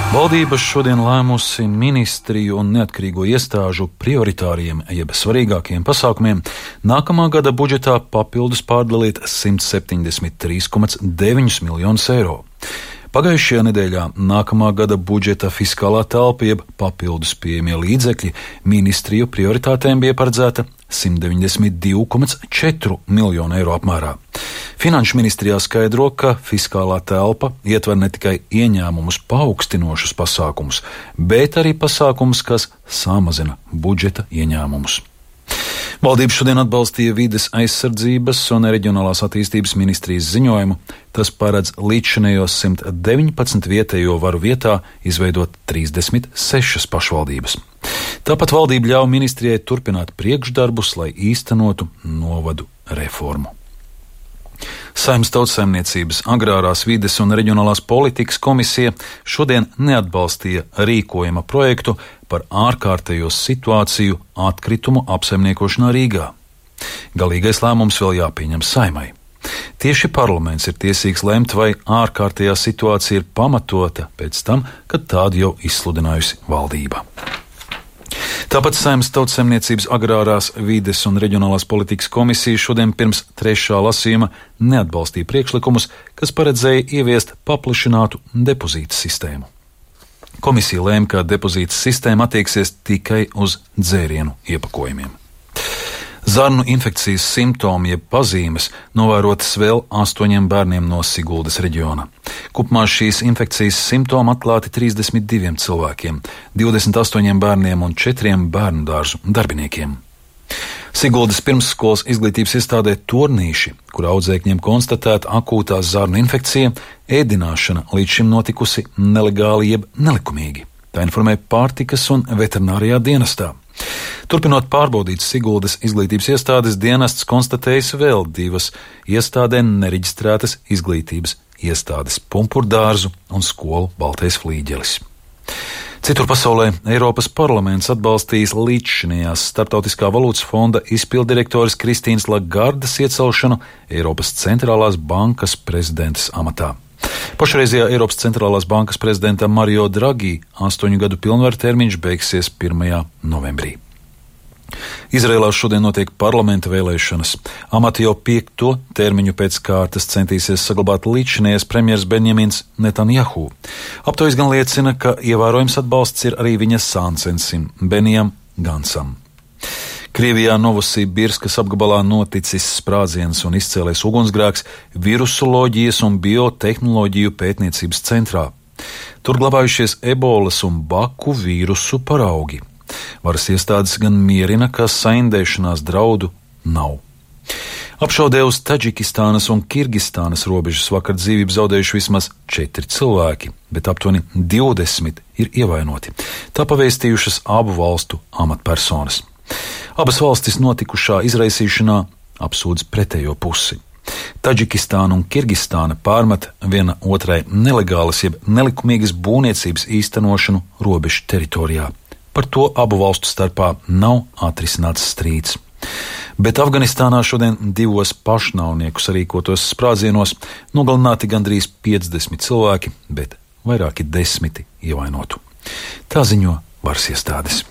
Valdība šodien lēmusi ministriju un neatkarīgo iestāžu prioritāriem, jeb svarīgākiem pasākumiem nākamā gada budžetā papildus pārdalīt 173,9 miljonus eiro. Pagājušajā nedēļā nākamā gada budžeta fiskālā telpa, jeb papildus pieejamie līdzekļi, ministriju prioritātēm bija paredzēta 192,4 miljonu eiro apmērā. Finanšu ministrijā skaidro, ka fiskālā telpa ietver ne tikai ieņēmumus paaugstinošus pasākumus, bet arī pasākumus, kas samazina budžeta ieņēmumus. Valdība šodien atbalstīja vides aizsardzības un reģionālās attīstības ministrijas ziņojumu. Tas paredz līdzšinējos 119 vietējo varu vietā izveidot 36 pašvaldības. Tāpat valdība ļauj ministrijai turpināt priekšdarbus, lai īstenotu novadu reformu. Saeimas Tautsaimniecības, Agrārās vides un reģionālās politikas komisija šodien neatbalstīja rīkojuma projektu par ārkārtējo situāciju atkritumu apsaimniekošanā Rīgā. Galīgais lēmums vēl jāpieņem Saeimai. Tieši parlaments ir tiesīgs lemt, vai ārkārtējā situācija ir pamatota pēc tam, kad tādu jau izsludinājusi valdība. Tāpat Saeimas Tautsaimniecības, Agrārās vides un reģionālās politikas komisija šodien pirms trešā lasījuma neatbalstīja priekšlikumus, kas paredzēja ieviest paplašinātu depozītu sistēmu. Komisija lēma, ka depozīta sistēma attieksies tikai uz dzērienu iepakojumiem. Zarnu infekcijas simptomi jeb pazīmes novērotas vēl 8 bērniem no Siguldas reģiona. Kopumā šīs infekcijas simptomi atklāti 32 cilvēkiem, 28 bērniem un 4 bērnu dārzu darbiniekiem. Siguldas pirmsskolas izglītības iestādē Tornīši, kur audzēkņiem konstatēta akūtā zarnu infekcija, ēdināšana līdz šim notikusi nelegāli jeb nelikumīgi. Tā informē pārtikas un veterinārijā dienestā. Turpinot pārbaudīt Siguldas izglītības iestādes, dienests konstatējis vēl 2 iestādē nereģistrētas izglītības iestādes - Pumpurdārzu un skolu Baltais Flīģelis. Citur pasaulē Eiropas parlaments atbalstījis līdzšinējās Starptautiskā valūtas fonda izpilddirektores Kristīnas Lagardes iecelšanu Eiropas centrālās bankas prezidentes amatā. Pašreizējā Eiropas centrālās bankas prezidenta Mario Draghi 8 gadu pilnvaru termiņš beigsies 1. novembrī. Izrēlā šodien notiek parlamenta vēlēšanas. Amati jau 5. termiņu pēc kārtas centīsies saglabāt līdzšinējais premjers Benjamins Netanjahu. Aptaujas gan liecina, ka ievērojams atbalsts ir arī viņa sāncensim Benijam Gansam. Krievijā Novosibirskas apgabalā noticis sprādziens un izcēlies ugunsgrēks virusoloģijas un biotehnoloģiju pētniecības centrā. Tur glabājušies ebolas un baku vīrusu paraugi. Varas iestādes gan mierina, ka saindēšanās draudu nav. Apšaudē uz Taģikistānas un Kirgistānas robežas vakar dzīvību zaudējuši vismaz 4 cilvēki, bet aptuveni 20 ir ievainoti. Tā pavēstījušas abu valstu amatpersonas. Abas valstis notikušā izraisīšanā apsūdz pretējo pusi. Taģikistāna un Kirgistāna pārmet viena otrai nelegālas jeb nelikumīgas būvniecības īstenošanu robežu teritorijā. Par to abu valstu starpā nav atrisināts strīds. Bet Afganistānā šodien 2 pašnāvnieku sarīkotos sprādzienos nogalināti gandrīz 50 cilvēki, bet vairāki 10 ievainotu. Tā ziņo varas iestādes.